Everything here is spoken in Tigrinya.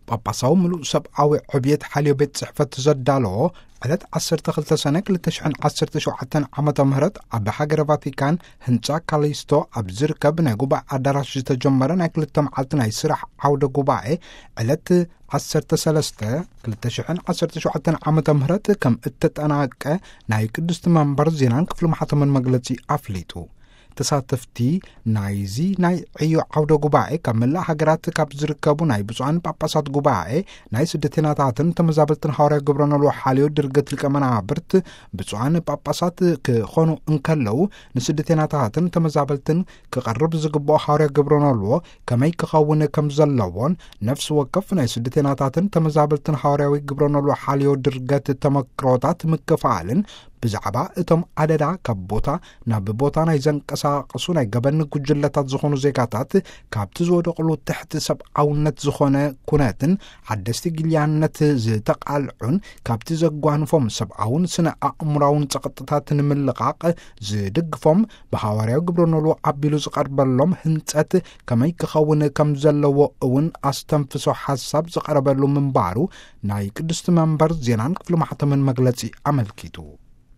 ጳጳሳዊ ምሉእ ሰብኣዊ ዕብየት ሓልዮ ቤት ጽሕፈት ዘዳለዎ ዕለት ዓሰርተ ክልተ ሰነ ክልተ ሽሕን ዓሰርተ ሸውዓተን ዓመተ ምህረት ኣብ ሃገረ ቫቲካን ህንጻ ካሊስቶ ኣብ ዝርከብ ናይ ጉባኤ ኣዳራሽ ዝተጀመረ ናይ ክልተ መዓልቲ ናይ ስራሕ ዓውደ ጉባኤ ዕለት ዓሰርተ ሰለስተ ክልተ ሽሕን ዓሰርተ ሸውዓተን ዓመተ ምህረት ከም እተጠናቀ ናይ ቅድስቲ መንበር ዜናን ክፍሊ ማሕተምን መግለጺ ኣፍሊጡ። ተሳተፍቲ ናይዚ ናይ ዕዮ ዓውደ ጉባኤ ካብ መላእ ሃገራት ካብ ዝርከቡ ናይ ብፁዓን ጳጳሳት ጉባኤ ናይ ስደተናታትን ተመዛበልትን ሃዋርያ ግብረ ኖልዎ ሓልዮ ድርገት ሊቀ መናብርት ብፁዓን ጳጳሳት ክኾኑ እንከለዉ፣ ንስደተናታትን ተመዛበልትን ክቐርብ ዝግብኦ ሃዋርያ ግብረ ኖልዎ ከመይ ክኸውን ከም ዘለዎን፣ ነፍሲ ወከፍ ናይ ስደተናታትን ተመዛበልትን ሃዋርያዊ ግብረ ኖልዎ ሓልዮ ድርገት ተመክሮታት ምክፋልን፣ ብዛዕባ እቶም ኣደዳ ካብ ቦታ ናብ ቦታ ናይ ዘንቀሳቐሱ ናይ ገበን ጉጅለታት ዝኾኑ ዜጋታት ካብቲ ዝወደቕሉ ትሕቲ ሰብኣውነት ዝኾነ ኩነትን ሓደስቲ ግልያነት ዝተቓልዑን ካብቲ ዘጓንፎም ሰብኣውን ስነ ኣእምራውን ጸቕጥታት ንምልቓቕ ዝድግፎም ብሃዋርያዊ ግብረ ኖልዎ ኣቢሉ ዝቐርበሎም ህንጸት ከመይ ክኸውን ከም ዘለዎ እውን ኣስተንፍሶ ሓሳብ ዝቐረበሉ ምንባሩ ናይ ቅድስቲ መንበር ዜናን ክፍሊ ማሕተምን መግለጺ ኣመልኪቱ።